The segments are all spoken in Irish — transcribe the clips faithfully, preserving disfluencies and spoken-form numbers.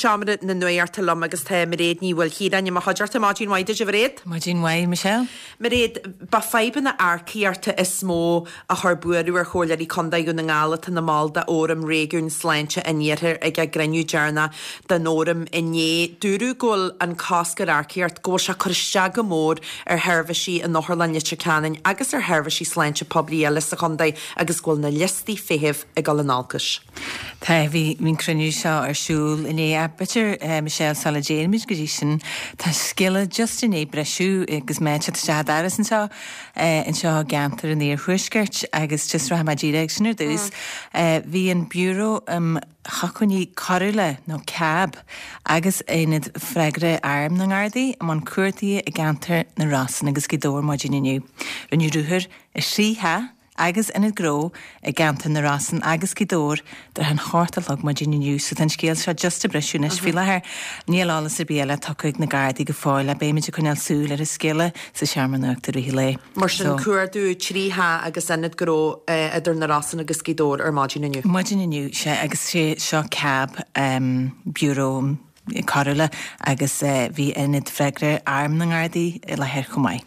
seomra na nuachta liom agus tá Mairéad Ní Mhaoilchiaráin i mo chuideachta. Maidin mhaith duit, a Mhairéad. Maidin mhaith, Michelle. Mairéad, ba fadhbanna earcaíochta is mó a chuir buaireamh ar Chomhairleoirí Contae Dhún na nGall atá ina mball d'Fhóram Réigiún Sláinte an Iarthair ag a gcruinniú deireanach den fhóram inné. Dúradh go bhfuil an cosc ar earcaíocht, go bhfuil sé cur isteach go mór ar sheirbhísí in Otharlann Leitir Ceanainn agus ar sheirbhísí sláinte poiblí eile sa chontae agus go bhfuil na liostaí feithimh ag dul in olcas. Tá, bhí an cruinniú seo ar siúl inné. B'fhéidir, Michelle, sula dtéimid go dtí sin, tá scéala just i ndiaidh briseadh agus mé ag teacht isteach an doras anseo anseo i gceantar an Iarthuaiscirt agus just rachaidh mé díreach sin ar dtús. Bhí an Bureau um Shócmhainní Coiriúla nó CAB agus Aonad Freagartha Airm na nGardaí i mbun cuardaithe i gceantar na Rosann agus Gaoth Dobhair maidin inniu. Rinneadh ruathar i thrí theach agus ionad gnó i gceantar na Rosann agus Gaoth Dobhair thart ar a hocht a chlog maidin inniu, so tá an scéal seo just ag briseadh anois faoi láthair. Níl eolas ar bith eile tugtha ag na Gardaí go fóill ach beimid ag coinneáil súil ar an scéala sa seomra nuachta i rith an lae. Mar sin cuardú trí theach agus ionad gnó idir na Rosann agus Gaoth Dobhair ar maidin inniu. Maidin inniu, sea, agus sé seo CAB, Bureau Coiriúla agus bhí Aonad Freagartha Airm na nGardaí i láthair chomh maith.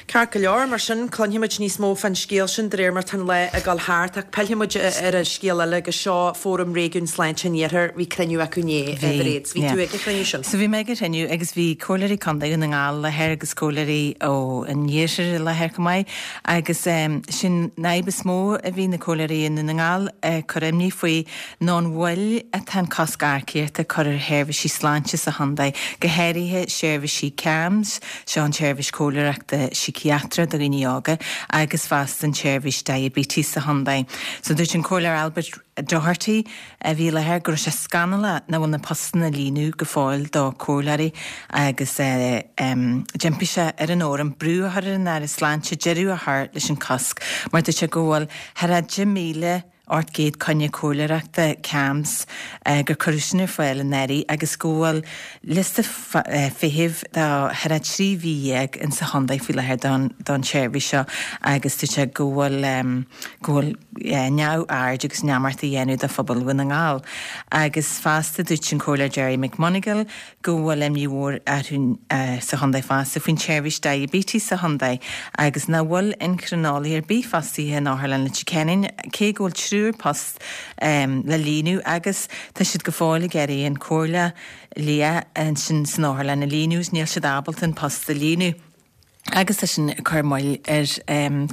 Ceart go leor, mar sin cluinfimid níos mó fán scéal sin de réir mar tá an lá ag dul thart ach pillfimid ar an scéal eile agus seo Fóram Réigiún Sláinte an Iarthair, bhí cruinniú acu inné, a Mhairéad. Bhí tú ag an chruinniú sin? So bhí mé ag an chruinniú agus bhí comhairleoirí contae Dhún na nGall i láthair agus comhairleoirí ó an Iarthar i láthair chomh maith agus sin an fhadhb is mó a bhí na comhairleoirí i nDún na nGall ag cur imní faoi ná an mhoill atá an cosc earcaíochta ag cur ar sheirbhísí sláinte sa chontae, go háirithe seirbhísí CAMHS, seo an tseirbhís comhairleoireachta síciatrach do dhaoine óga, agus fosta an tseirbhís diabetes sa chontae. So dúirt an Comhairleoir Albert Doherty a bhí i láthair go raibh sé scannalach nach bhfuil na postanna á líonadh go fóill do comhairleoirí agus d'impigh sé ar an fhóram brú a chur ar an Aire Sláinte deireadh a chur leis an cosc mar dúirt sé go bhfuil thar a deich míle ocht gcéad coinne comhairleoireachta CAMHS gur cuireadh sin ar fáil anuraidh agus go bhfuil liosta feithimh de thar a trí mhí dhéag in sa chontae faoi láthair don don tseirbhís seo agus dúirt sé go bhfuil go bhfuil neamhaird agus neamart á dhéanamh do phobal Dhún na nGall. Agus fosta dúirt an Comhairleoir Gerry McMonagall go bhfuil imní mhór orthu sa chontae fosta faoin tseirbhís diabetes sa chontae agus nach bhfuil eincrineolaí ar bith fostaithe in Otharlann Leitir Ceanainn cé go bhfuil triúr post le líonadh agus tá siad go fóill ag iarraidh an comhairle lia ansin san otharlann a líonadh is níl siad ábalta an post a líonadh. Agus tá sin ag cur moill ar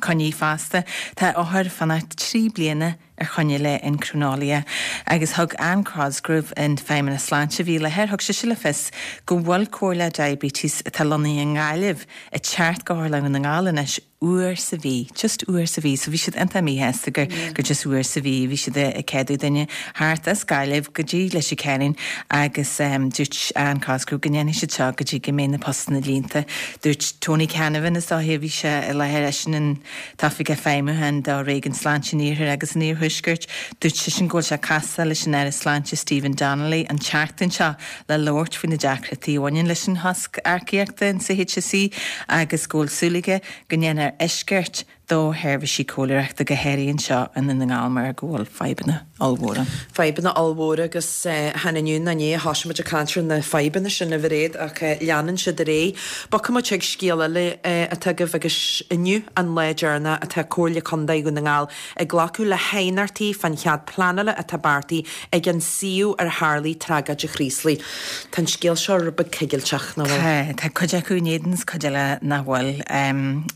coinní fosta. Tá othair ag fanacht trí bliana ar choinne le eincrineolaí agus thug Anne Cosgrove in Feidhmeannas Sláinte a bhí i láthair, thug sise le fios go bhfuil comhairle diabetes atá lonnaithe i nGaillimh ag teacht go hOtharlann Dhún na nGall anois uair sa mhí, just uair sa mhí, so bhí siad iontach míshásta gur gur just uair sa mhí a bhí siad ag ceadú duine thart as Gaillimh go dtí Leitir Ceanainn agus dúirt Anne Cosgrove go ndéanfaidh siad seo go dtí go mbeidh na postanna líonta. Dúirt Tony Canavan is dóiche a bhí sé i láthair eisean an t-oifigeach feidhmiúcháin do Réigiún Sláinte an Iarthair agus an Iarthuaiscirt, dúirt seisean go bhfuil sé ag castáil leis an Aire Sláinte Stephen Donnelly an tseachtain seo le labhairt faoi na deacrachtaí a bhaineann leis an chosc earcaíochta in sa H S E agus go bhfuil súil aige go ndéanfar eisceacht do sheirbhísí comhairleoireachta go háirithe anseo i nDún na nGall mar go bhfuil fadhbanna ollmhóra. Fadhbanna ollmhóra agus chan inniu ná inné a thosaigh muid ag caint ar na fadhbanna sin, a Mhairéad, ach leanann siad ar aghaidh. Bogfaidh muid chuig scéal eile atá agaibh agus inniu an lá deireanach atá Comhairle Contae Dhún na nGall ag glacadh le haighneachtaí fán chead pleanála atá beartaithe ag an suíomh ar tharlaigh tragóid an Chraoslaigh. Tá an scéal seo rud beag coigilteach, nach bhfuil? Tá, tá cuid acu in éadan is cuid eile nach bhfuil.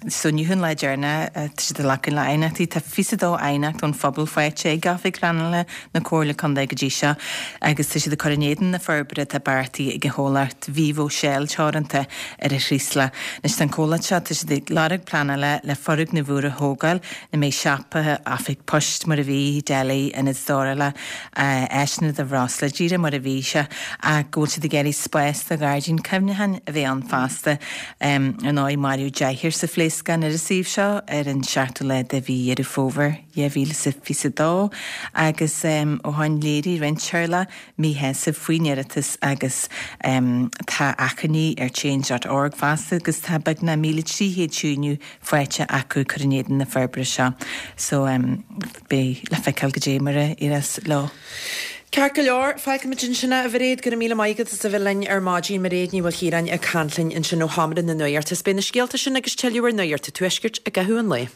So inniu an lá deireanach tá siad ag glacadh le haighneachtaí. Tá fiche a dó aighneacht ón phobal faighte ag Oifig Pleanála na Comhairle Contae go dtí seo agus tá siad ag cur in éadan na forbartha atá beartaithe ag an chomhlacht Vivo Shell Teoranta ar an Chraoslach. Anois tá an comhlacht seo, tá siad ag lorg pleanála le foirgneamh úr a thógáil ina mbeidh siopa, oifig poist mar a bhí, deli, ionad stórála, áiseanna do bhreosla, díreach mar a bhí sé ach go bhfuil siad ag iarraidh spás do ghairdín cuimhneacháin a bheith ann fosta. Ar ndóigh maraíodh deichniúr sa phléascán ar an suíomh seo ar an seachtú lá de mhí Dheireadh Fómhair dhá mhíle is fiche a dó agus ó shin léirigh roinnt teaghlach míshásamh faoin iarratas agus tá achainí ar change dot org fosta agus tá beagnach míle trí chéad síniú faighte acu cur in éadan na forbartha seo. So beidh le feiceáil goidé mar a éireos leo. Ceart go leor, fágfaimid ansin é, a Mhairéad, go raibh míle maith agat as a bheith linn ar maidin. Mairéad Ní Mhaoilchiaráin ag caint linn ansin ó Sheomra na Nuachta. Is beidh na scéalta sin agus tuilleadh ar Nuacht an Tuaiscirt i gcaitheamh an lae.